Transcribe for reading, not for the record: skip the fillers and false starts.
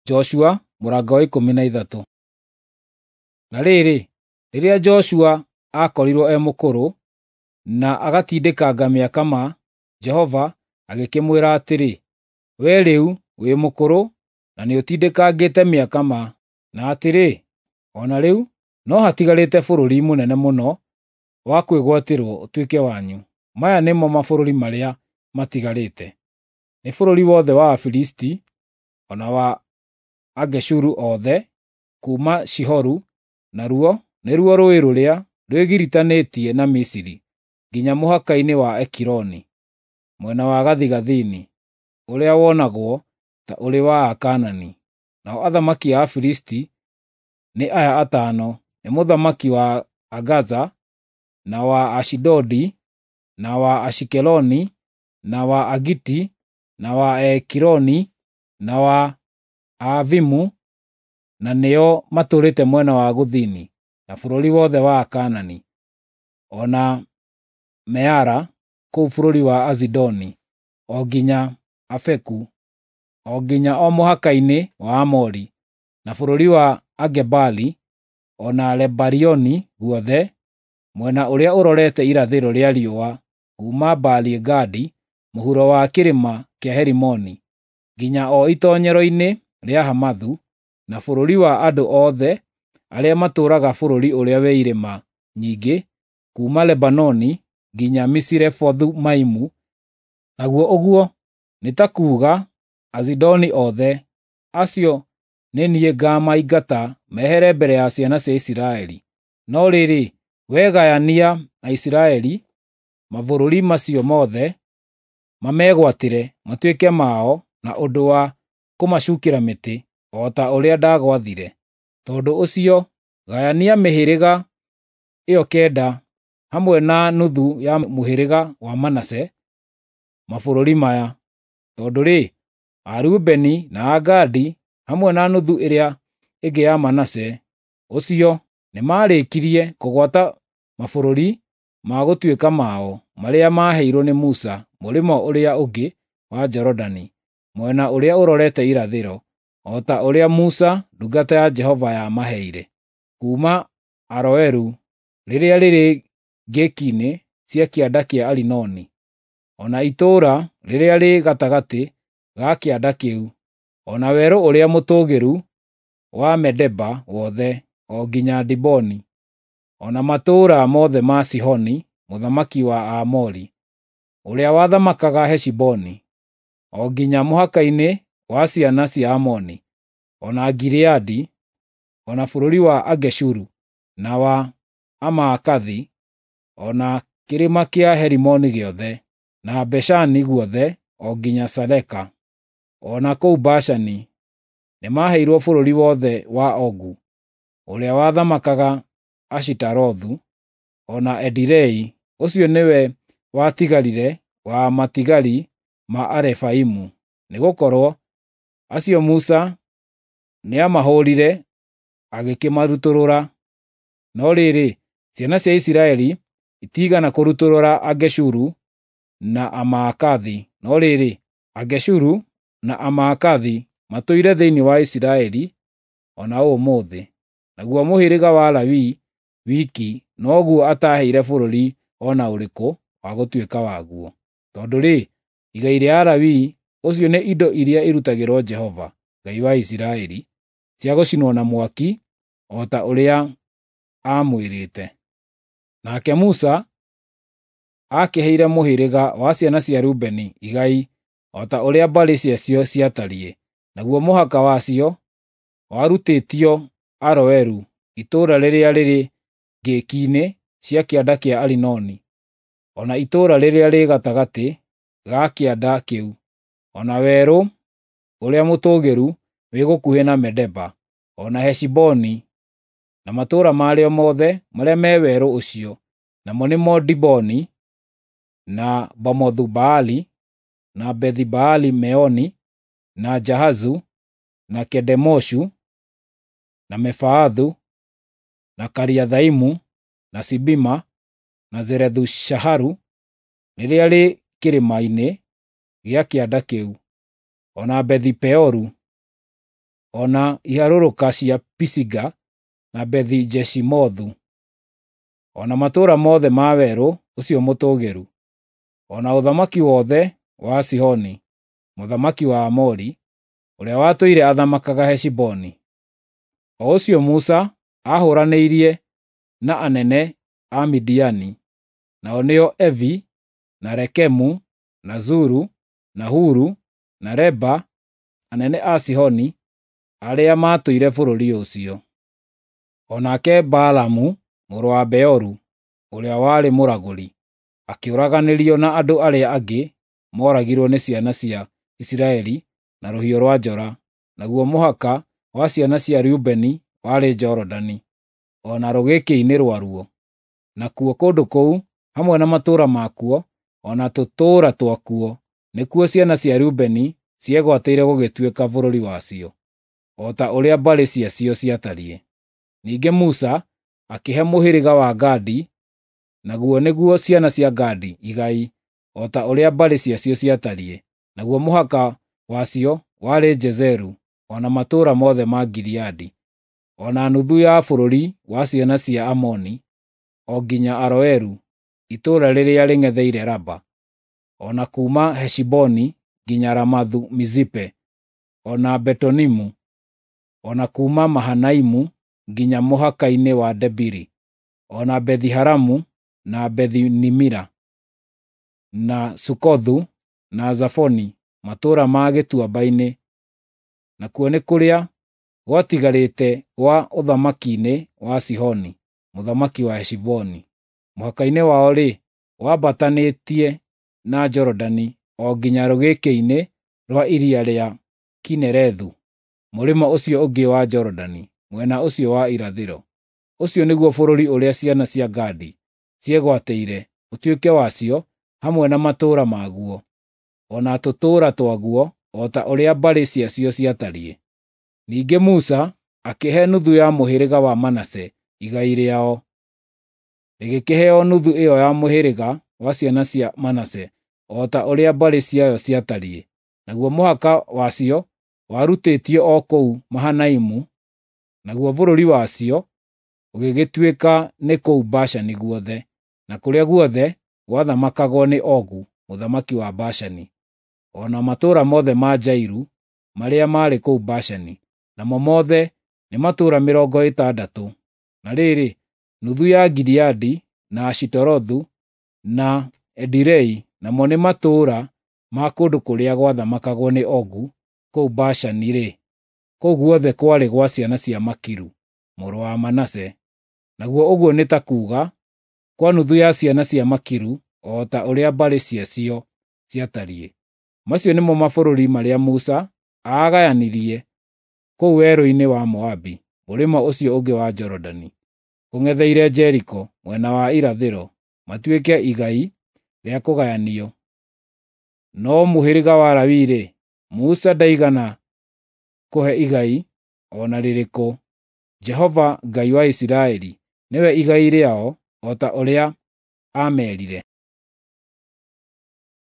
Joshua mũrango wa 13. Na rĩrĩ, rĩrĩa Joshua aakorirwo e mũkũrũ na agatindĩkanga mĩaka ma, Jehova agĩkĩmwĩra atĩrĩ, “Wee rĩu wĩ mũkũrũ na nĩũtindĩkangĩte mĩaka ma, na atĩrĩ, o na rĩu no hatigarĩte bũrũri mũnene mũno wa kwĩgwatĩrwo ũtuĩke wanyu. Maya nĩmo mabũrũri marĩa matigarĩte: nĩ bũrũri wothe wa Afilisti, o na wa Ageshuru othe, kuuma Shihoru, naruo nĩruo rũũĩ rũrĩa rwĩgiritanĩtie na Misiri, nginya mũhaka-inĩ wa Ekironi, mwena wa gathigathini, ũrĩa wonagwo ta ũrĩ wa Akaanani. Nao athamaki a Afilisti nĩ aya atano: nĩ mũthamaki wa Agaza, na wa Ashidodi, na wa Ashikeloni, na wa Agiti, na wa Ekironi, na wa Aavimu, na nĩo matũũrĩte mwena wa gũthini, na bũrũri wothe wa Akaanani, o na Meara kũu bũrũri wa Azidoni, o nginya Afeku, o nginya o mũhaka-inĩ wa Aamori, na bũrũri wa Agebali, o na Lebarioni guothe, mwena ũrĩa ũrorete irathĩro rĩa riũa, kuuma Baali-Gadi mũhuro wa kĩrĩma kĩa Herimoni, nginya o itoonyero-inĩ rĩa Hamathu, na bũrũri wa andũ othe arĩa matũũraga bũrũri ũrĩa wĩ irĩma nyingĩ, kuuma Lebanoni nginya Misirefothu-Maimu, naguo ũguo nĩ ta kuuga Azidoni othe, acio nĩ niĩ ngaamaingata mehere mbere ya ciana cia Isiraeli. No rĩrĩ, wee gayania Aisiraeli mabũrũri macio mothe, mamegwatĩre matuĩke mao na ũndũ wa kũmacuukĩra mĩtĩ, o ta ũrĩa ndagwathire. Tondũ ũcio gayania mĩhĩrĩga ĩyo kenda hamwe na nuthu ya mũhĩrĩga wa Manase mabũrũri maya. Tondũ-rĩ, Arubeni na Agadi hamwe na nuthu ĩrĩa ĩngĩ ya Manase ũcio nĩmarĩkirie kũgwata mabũrũri ma gũtuĩka mao marĩa maaheirwo nĩ Musa mũrĩmo ũrĩa ũngĩ wa Jorodani, mwena ũrĩa ũrorete irathĩro, o ta ũrĩa Musa ndungata ya Jehova yamaheire, kuuma Aroeru rĩrĩa rĩrĩ ngĩki-inĩ cia kĩanda kĩa Arinoni, o na itũũra rĩrĩa rĩ gatagatĩ ga kĩanda kĩu, o na werũ ũrĩa mũtũũgĩru wa Medeba wothe, o nginya Diboni, o na matũũra mothe ma Sihoni mũthamaki wa Aamori, ũrĩa wathamakaga Heshiboni, o nginya mũhaka-inĩ wa ciana cia Amoni, o na Gileadi, o na bũrũri wa Ageshuru, na wa Amaakathi, o na kĩrĩma kĩa Herimoni gĩothe, na Bashani guothe o nginya Saleka, o na kũu Bashani nĩmaheirwo bũrũri wothe wa Ogu, ũrĩa wathamakaga Ashitarothu, o na Edirei, ũcio nĩwe watigarire wa matigari ma Arefaimu, nĩgũkorwo acio Musa nĩamahũũrire agĩkĩmarutũrũra. No rĩrĩ, ciana cia Isiraeli itiigana kũrutũrũra Ageshuru na Amaakathi, no rĩrĩ, Ageshuru na Amaakathi matũire thĩinĩ wa Isiraeli o na ũmũthĩ. Naguo mũhĩrĩga wa Lawi wiki noguo ataaheire bũrũri o na ũrĩkũ wa gũtuĩka waguo. Tondũ-rĩ, igai rĩa Alawii ũcio nĩ indo iria irutagĩrwo Jehova, Ngai wa Isiraeli, cia gũcinwo na mwaki, o ta ũrĩa aamwĩrĩte. Nake Musa aakĩheire mũhĩrĩga wa ciana cia Rubeni igai o ta ũrĩa mbarĩ ciacio ciatariĩ, naguo mũhaka wacio warutĩtio Aroeru, itũũra rĩrĩa rĩrĩ ngĩki-inĩ cia kĩanda kĩa Arinoni, o na itũũra rĩrĩa rĩ gatagatĩ ga kĩanda kĩu, o na werũ ũrĩa mũtũũgĩru wĩ gũkuhĩ na Medeba, o na Heshiboni, na matũũra marĩo mothe marĩa me werũ ũcio, namo nĩmo Diboni, na Bamothu-Baali, na Bethi-Baali-Meoni, na Jahazu, na Kedemoshu, na Mefaathu, na Kariathaimu, na Sibima, na Zerethu-Shaharu rĩrĩa rĩ kĩrĩma-inĩ gĩa kĩanda kĩu, o na Bethi-Peoru, o na iharũrũka cia Pisiga na Bethi-Jeshimothu, o na matũũra mothe ma werũ ũcio mũtũũgĩru, o na ũthamaki wothe wa Sihoni mũthamaki wa Aamori, ũrĩa watũire athamakaga Heshiboni. O ũcio Musa aahũũranĩire na anene a Midiani, nao nĩo Evi, na Rekemu, na Zuru, na Huru, na Reba, anene a Sihoni arĩa maatũire bũrũri ũcio. O nake Balamu mũrũ wa Beoru, ũrĩa warĩ mũragũri, akĩũraganĩrio na andũ arĩa angĩ mooragirwo nĩ ciana cia Isiraeli na rũhiũ rwa njora, naguo mũhaka wa ciana cia Rubeni warĩ Jorodani, o na rũgĩkĩ-inĩ rwaruo. Nakuo kũndũ kũu, hamwe na matũũra makuo, o na tũtũũra twakuo, nĩkuo ciana cia Rubeni ciegwatĩire gũgĩtuĩka bũrũri wacio, o ta ũrĩa mbarĩ ciacio ciatariĩ. Ningĩ Musa akĩhe mũhĩrĩga wa Gadi, naguo nĩguo ciana cia Gadi, igai, o ta ũrĩa mbarĩ ciacio ciatariĩ. Naguo mũhaka wacio warĩ Jezeru, o na matũũra mothe ma Gileadi, o na nuthu ya bũrũri wa ciana cia Amoni, o nginya Aroeru, itũũra rĩrĩa rĩng'etheire Raba, o na kuuma Heshiboni nginya Ramathu-Mizipe, o na Betonimu, o na kuuma Mahanaimu nginya mũhaka-inĩ wa Debiri, o na Bethi-Haramu na Bethi-Nimira, na Sukothu na Zafoni, matũũra ma gĩtuamba-inĩ, nakuo nĩ kũrĩa gwatigarĩte gwa ũthamaki-inĩ wa Sihoni mũthamaki wa Heshiboni. Mũhaka-inĩ wao-rĩ, wambatanĩtie na Jorodani o nginya rũgĩkĩ-inĩ rwa iria rĩa Kinerethu, mũrĩmo ũcio ũngĩ wa Jorodani, mwena ũcio wa irathĩro. Ũcio nĩguo bũrũri ũrĩa ciana cia Gadi ciegwatĩire ũtuĩke wacio hamwe na matũũra maguo, o na tũtũũra twaguo, o ta ũrĩa mbarĩ ciacio ciatariĩ. Ningĩ Musa akĩhe nuthu ya mũhĩrĩga wa Manase igai rĩao, rĩgĩkĩheo nuthu ĩyo ya mũhĩrĩga wa ciana cia Manase o ta ũrĩa mbarĩ ciayo ciatariĩ. Naguo mũhaka wacio warutĩtio o kũu Mahanaimu, naguo bũrũri wacio ũgĩgĩtuĩka nĩ kũu Bashani guothe, na kũrĩa guothe gwathamakagwo nĩ Ogu mũthamaki wa Bashani, o na matũũra mothe ma Jairu marĩa maarĩ kũu Bashani, namo mothe nĩ matũũra 60. Na rĩrĩ, nuthu ya Gileadi, na Ashitarothu, na Edirei, namo nĩ matũũra ma kũndũ kũrĩa gwathamakagwo nĩ Ogu kũu Bashani-rĩ, kũu guothe kwarĩ gwa ciana cia Makiru mũrũ wa Manase, naguo ũguo nĩ ta kuuga kwa nuthu ya ciana cia Makiru o ta ũrĩa mbarĩ ciacio ciatariĩ. Macio nĩmo mabũrũri marĩa Musa aagayanirie kũu werũ-inĩ wa Moabi, mũrĩmo ũcio ũngĩ wa Jorodani, kũng'etheire Jeriko mwena wa irathĩro, matuĩke igai rĩa kũgayanio. No mũhĩrĩga wa Lawi-rĩ, Musa ndaigana kũhe igai o na rĩrĩkũ. Jehova Ngai wa Isiraeli nĩwe igai rĩao o ta ũrĩa aamerire.